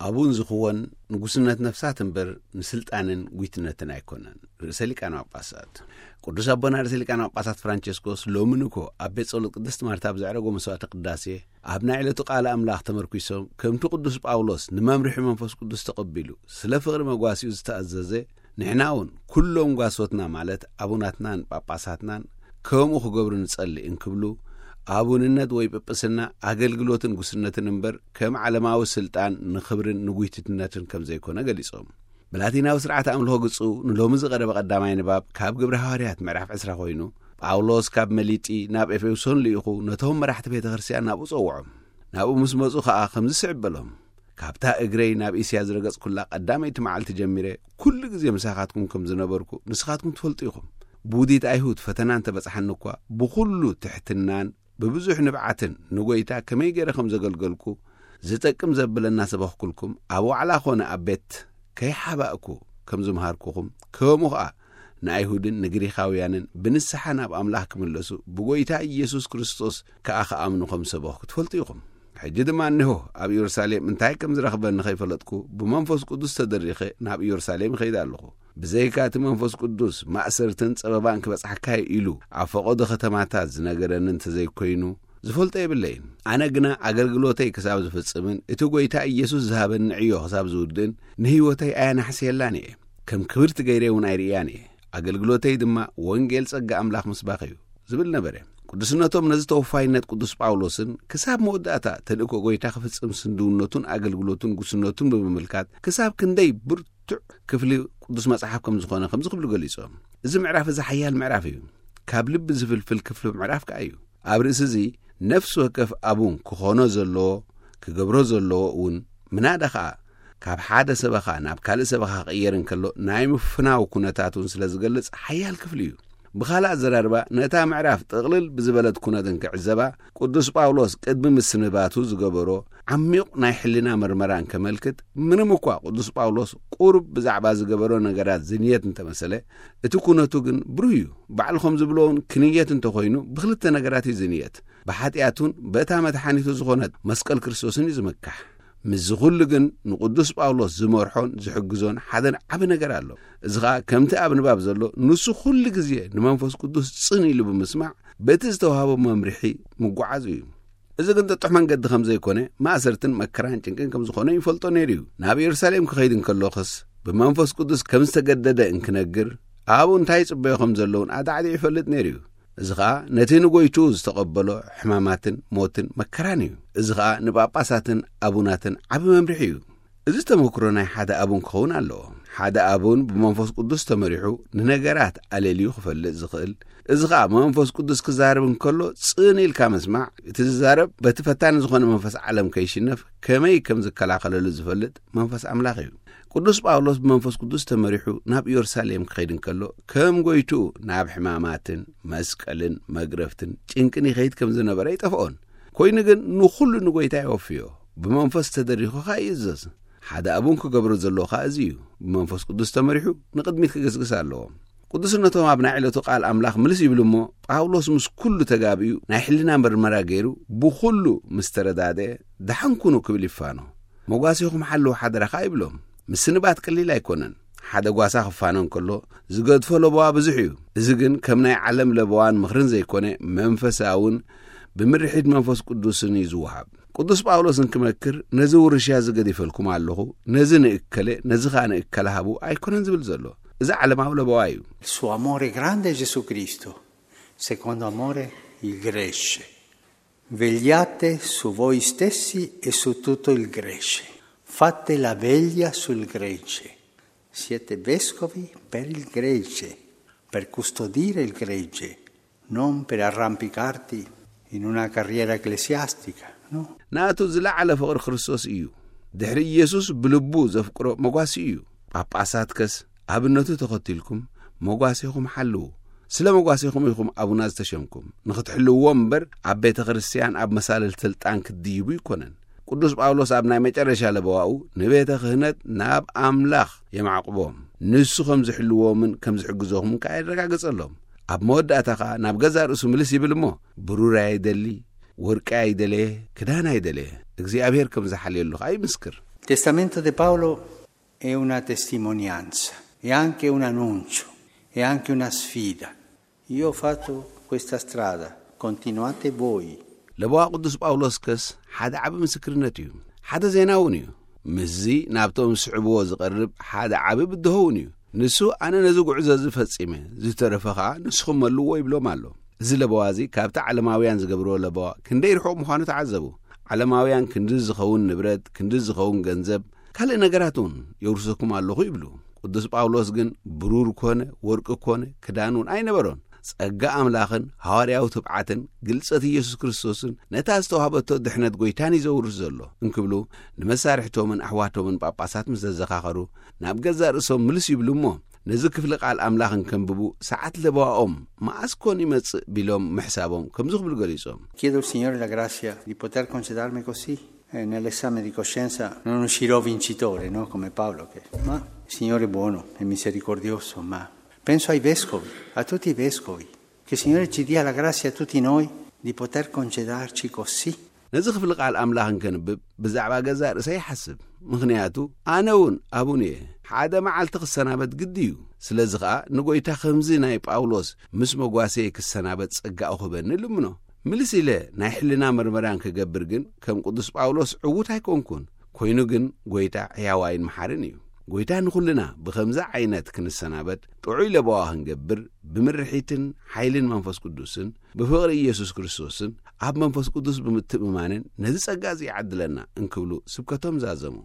ኣቡን ዝኽወን ንጉስነት ነፍሳት እምበር ንስልጣንን ጉይትነትን ኣይኮነን። ርእሰ ሊቃነ ጳጳሳት ቅዱስ ኣቦና ርእሰ ሊቃነ ጳጳሳት ፍራንቸስኮስ ሎሚ ንኮ ኣብ ቤት ጸሎት ቅድስት ማርታ ብዘዕረጎ መስዋዕተ ቅዳሴ፣ ኣብ ናይ ዕለቱ ቃል ኣምላኽ ተመርኲሶም፣ ከምቲ ቅዱስ ጳውሎስ ንመምርሒ መንፈስ ቅዱስ ተቐቢሉ ስለ ፍቕሪ መጓሲኡ ዝተኣዘዘ፣ ንሕና እውን ኩሎም ጓሶትና ማለት ኣቡናትናን ጳጳሳትናን ከምኡ ክገብሩ ንጸሊ እንክብሉ፣ ኣቡንነት ወይ ጵጵስና ኣገልግሎትን ጉስነትን እምበር ከም ዓለማዊ ስልጣን ንኽብርን ንጉይትነትን ከም ዘይኮነ ገሊጾም። ብላቲናዊ ስርዓት ኣምልኾ ግጹ ንሎሚ ዝቐረበ ቀዳማይ ንባብ ካብ ግብረ ሃዋርያት ምዕራፍ ዕስራ ኮይኑ፣ ጳውሎስ ካብ መሊጢ ናብ ኤፌሶን ልኢኹ ነቶም መራሕቲ ቤተ ክርስቲያን ናብኡ ጸውዖም። ናብኡ ምስ መጹ ኸኣ ከምዚ ስዕብ በሎም፣ "ካብታ እግረይ ናብ እስያ ዝረገጽኩላ ቀዳመይቲ መዓልቲ ጀሚረ ኩሉ ግዜ ምሳኻትኩም ከም ዝነበርኩ ንስኻትኩም ትፈልጡ ኢኹም። ብውዲት ኣይሁድ ፈተና እንተበጽሓኒ እኳ ብኹሉ ትሕትናን ብብዙሕ ንብዓትን ንጎይታ ከመይ ገይረ ከም ዘገልገልኩ ዝጠቅም ዘብለ እናሰበኽኩልኩም ኣብ ዋዕላ ኾነ ኣብ ቤት ከይሓባእኩ ከም ዝምሃርኩኹም፣ ከምኡ ኸኣ ንኣይሁድን ንግሪኻውያንን ብንስሓ ናብ ኣምላኽ ክምለሱ ብጎይታ ኢየሱስ ክርስቶስ ከኣ ክኣምኑ ከም ዝሰበኽኩ ትፈልጡ ኢኹም። ሕጂ ድማ እንሆ ኣብ ኢየሩሳሌም እንታይ ከም ዝረኽበኒ ኸይፈለጥኩ ብመንፈስ ቅዱስ ተደሪኸ ናብ ኢየሩሳሌም እኸይድ ኣለኹ። ብዘይካ እቲ መንፈስ ቅዱስ ማእሰርትን ጸበባን ክበጽሓካ እዩ ኢሉ ኣብ ፈቐዶ ከተማታት ዝነገረኒ እንተዘይኮይኑ ዝፈልጦ የብለይን። ኣነ ግና ኣገልግሎተይ ክሳብ ዝፍጽምን እቲ ጎይታ ኢየሱስ ዝሃበኒ ዕዮ ክሳብ ዝውድእን ንህይወተይ ኣየናሕስየላን እየ። ከም ክብርቲ ገይረ እውን ኣይርእያን እየ። ኣገልግሎተይ ድማ ወንጌል ጸጋ ኣምላኽ ምስባኽ እዩ" ዝብል ነበረ። ቅዱስነቶም ነዚ ተወፋይነት ቅዱስ ጳውሎስን ክሳብ መወዳእታ ተልእኮ ጎይታ ክፍጽም ስንድውነቱን ኣገልግሎቱን ጉስነቱን ብምምልካት ክሳብ ክንደይ ብርቱዕ ክፍሊ ቅዱስ መጽሓፍ ከም ዝኾነ ከምዚ ክብሉ ገሊጾም፣ "እዚ ምዕራፍ እዚ ሓያል ምዕራፍ እዩ። ካብ ልቢ ዝፍልፍል ክፍሊ ምዕራፍ ከኣ እዩ። ኣብ ርእሲ እዚ ነፍሲ ወከፍ ኣቡን ክኾኖ ዘለዎ፣ ክገብሮ ዘለዎ እውን ምናዳ ኸኣ ካብ ሓደ ሰበኻ ናብ ካልእ ሰበኻ ክቕየር እንከሎ ናይ ምፍናው ኩነታት እውን ስለ ዝገልጽ ሓያል ክፍሊ እዩ። ብኻልእ ኣዘራርባ ነታ ምዕራፍ ጥቕልል ብዝበለት ኩነት እንክዕዘባ ቅዱስ ጳውሎስ ቅድሚ ምስንባቱ ዝገበሮ ዓሚቕ ናይ ሕልና መርመራ እንከመልክት፣ ምንም እኳ ቅዱስ ጳውሎስ ቁሩብ ብዛዕባ ዝገበሮ ነገራት ዝንየት እንተመሰለ፣ እቲ ኩነቱ ግን ብሩህ እዩ። ባዕሉ ከም ዝብሎ እውን ክንየት እንተኾይኑ ብኽልተ ነገራት እዩ ዝንየት። ብሓጢኣቱን በእታ መድሓኒቱ ዝኾነት መስቀል ክርስቶስን እዩ ዝምካሕ። ምስዚ ኩሉ ግን ንቅዱስ ጳውሎስ ዝመርሖን ዝሕግዞን ሓደ ዓቢ ነገር ኣሎ። እዚ ኸኣ ከምቲ ኣብ ንባብ ዘሎ ንሱ ኩሉ ግዜ ንመንፈስ ቅዱስ ጽን ኢሉ ብምስማዕ በቲ ዝተዋህቦ መምርሒ ምጓዓዙ እዩ። እዚ ግን ጥጡሕ መንገዲ ከም ዘይኮነ ማእሰርትን መከራን ጭንቅን ከም ዝኾነ ይፈልጦ ነይሩ እዩ። ናብ ኢየሩሳሌም ክኸይድ እንከሎኽስ ብመንፈስ ቅዱስ ከም ዝተገደደ እንክነግር ኣብኡ እንታይ ይጽበዮ ከም ዘለውን ኣዳዕዲዑ ይፈልጥ ነይሩ እዩ። እዚ ኸኣ ነቲ ንጎይትኡ ዝተቐበሎ ሕማማትን ሞትን መከራን እዩ። እዚ ኸኣ ንጳጳሳትን ኣቡናትን ዓቢ መምርሒ እዩ። እዚ ተመክሮ ናይ ሓደ ኣቡን ክኸውን ኣለዎ። ሓደ ኣቡን ብመንፈስ ቅዱስ ተመሪሑ ንነገራት ኣለልዩ ክፈልጥ ዝኽእል፣ እዚ ኸኣ መንፈስ ቅዱስ ክዛረብ እንከሎ ጽን ኢልካ ምስማዕ፣ እቲ ዝዛረብ በቲ ፈታኒ ዝኾነ መንፈስ ዓለም ከይሽነፍ ከመይ ከም ዝከላኸለሉ ዝፈልጥ መንፈስ ኣምላኽ እዩ። ቅዱስ ጳውሎስ ብመንፈስ ቅዱስ ተመሪሑ ናብ ኢየሩሳሌም ክኸይድ እንከሎ ከም ጎይትኡ ናብ ሕማማትን መስቀልን መግረፍትን ጭንቅን ይኸይድ ከም ዝነበረ ኣይጠፍኦን። ኮይኑ ግን ንኹሉ ንጎይታ የወፍዮ። ብመንፈስ ተደሪኹ ኸኣ ይእዘዝ። ሓደ ኣቡን ክገብሮ ዘለዎ ኸኣ እዚ እዩ። ብመንፈስ ቅዱስ ተመሪሑ ንቕድሚት ክግስግስ ኣለዎ። ቅዱስነቶም ኣብ ናይ ዕለቱ ቃል ኣምላኽ ምልስ ይብሉ እሞ፣ ጳውሎስ ምስ ኩሉ ተጋብዩ ናይ ሕልና መርመራ ገይሩ ብኹሉ ምስ ተረዳድአ፣ "ደሓን ኩኑ" ክብል ይፋኖ። "መጓሴኹም ሓልዉ ሓደራ" ኸኣ ይብሎም። ምስንባት ቀሊል ኣይኮነን። ሓደ ጓሳ ክፋኖ እንከሎ ዝገድፎ ለበዋ ብዙሕ እዩ። እዚ ግን ከም ናይ ዓለም ለበዋን ምኽርን ዘይኮነ፣ መንፈሳውን ብምርሒት መንፈስ ቅዱስን እዩ ዝወሃብ። ቅዱስ ጳውሎስ እንክመክር፣ "ነዚ ውርሻ እዚ ገዲፈልኩም ኣለኹ፣ ነዚ ንእከለ፣ ነዚ ኸኣ ንእከለ ሃቡ" ኣይኮነን ዝብል ዘሎ። እዚ ዓለማዊ ለበዋ እዩ። Il suo amore grande è Gesù Cristo, secondo amore il Gresce. Vegliate su voi stessi e su tutto il Gresce. Fate la veglia sul Gresce. Siete vescovi per il Gresce, per custodire il Gresce, non per arrampicarti in una carriera ecclesiastica, no? ናቱ ዝለዓለ ፍቕሪ ክርስቶስ እዩ። ድሕሪ ኢየሱስ ብልቡ ዘፍቅሮ መጓሲ እዩ። ጳጳሳት ከስ ኣብነቱ ተኸቲልኩም መጓሴኹም ሓልዉ። ስለ መጓሴኹም ኢኹም ኣቡና ዝተሸምኩም፣ ንኽትሕልውዎም እምበር ኣብ ቤተ ክርስቲያን ኣብ መሳልል ስልጣን ክትድይቡ ይኮነን። ቅዱስ ጳውሎስ ኣብ ናይ መጨረሻ ለበዋኡ ንቤተ ክህነት ናብ ኣምላኽ የማዕቁቦም፣ ንሱ ከም ዝሕልዎምን ከም ዝሕግዞኹምን ከኣ የረጋግጸሎም። ኣብ መወዳእታ ከኣ ናብ ገዛእ ርእሱ ምልስ ይብል እሞ፣ ብሩር ኣይደሊ፣ ወርቂ ኣይደለየ፣ ክዳን ኣይደለየ፣ እግዚኣብሔር ከም ዝሓልየሉ ከኣ ይምስክር። Testamento di Paolo è una testimonianza, è anche un annuncio, è anche una sfida. Io ho fatto questa strada, continuate voi. ለበዋ ቅዱስ ጳውሎስ ከስ ሓደ ዓቢ ምስክርነት እዩ። ሓደ ዜና እውን እዩ። ምስዚ ናብቶም ዝስዕብዎ ዝቐርብ ሓደ ዓቢ ብድሆ እውን እዩ። ንሱ ኣነ ነዚ ጉዕዞ እዚ ፈጺመ፣ ዝተረፈ ኸኣ ንስኹም መልዎ ይብሎም ኣሎ። እዚ ለበዋ እዚ ካብቲ ዓለማውያን ዝገብርዎ ለበዋ ክንደይ ርሑቕ ምዃኑ ተዓዘቡ። ዓለማውያን ክንዲ ዝኸውን ንብረት፣ ክንዲ ዝኸውን ገንዘብ፣ ካልእ ነገራት እውን የውርሰኩም ኣለኹ ይብሉ። ቅዱስ ጳውሎስ ግን ብሩር ኮነ ወርቂ ኮነ ክዳን እውን ኣይነበሮን። ጸጋ ኣምላኽን ሃዋርያዊ ትብዓትን ግልጸት ኢየሱስ ክርስቶስን ነታ ዝተዋህበቶ ድሕነት ጐይታን እዩ ዘውርስ ዘሎ እንክብሉ ንመሳርሕቶምን ኣሕዋቶምን ጳጳሳት ምስ ዘዘኻኸሩ ናብ ገዛእ ርእሶም ምልስ ይብሉ እሞ ነዚ ክፍሊ ቃል ኣምላኽ እንከንብቡ ሰዓት ለበዋኦም መኣስ ኮን ይመጽእ ቢሎም ምሕሳቦም ከምዚ ክብሉ ገሊጾም። Chiedo al Signore la grazia di poter congedarmi così. Eh, nell'esame di coscienza non uscirò vincitore, no? Come Paolo, che... Ma il Signore è buono e misericordioso, ma penso ai vescovi, a tutti i vescovi, che il Signore ci dia la grazia a tutti noi di poter congedarci così. ነዚ ክፍሊ ቃል ኣምላኽ እንከንብብ ብዛዕባ ገዛእ ርእሰይ ይሓስብ። ምኽንያቱ ኣነ እውን ኣቡን እየ። ሓደ መዓልቲ ክሰናበት ግዲ እዩ። ስለዚ ኸኣ ንጐይታ ከምዚ ናይ ጳውሎስ ምስ መጓሰየ ክሰናበት ጸጋ እኹበኒ ልምኖ። ምልስ ኢለ ናይ ሕልና መርመራን ክገብር ግን ከም ቅዱስ ጳውሎስ ዕዉት ኣይኮንኩን። ኮይኑ ግን ጐይታ ሕያዋይን መሓርን እዩ። ጐይታ ንኹልና ብኸምዚ ዓይነት ክንሰናበት ጥዑይ ለበዋ ክንገብር ብምርሒትን ሓይልን መንፈስ ቅዱስን ብፍቕሪ ኢየሱስ ክርስቶስን ኣብ መንፈስ ቅዱስ ብምትእምማንን ነዚ ጸጋ እዚ ይዓድለና እንክብሉ ስብከቶም ዛዘሙ።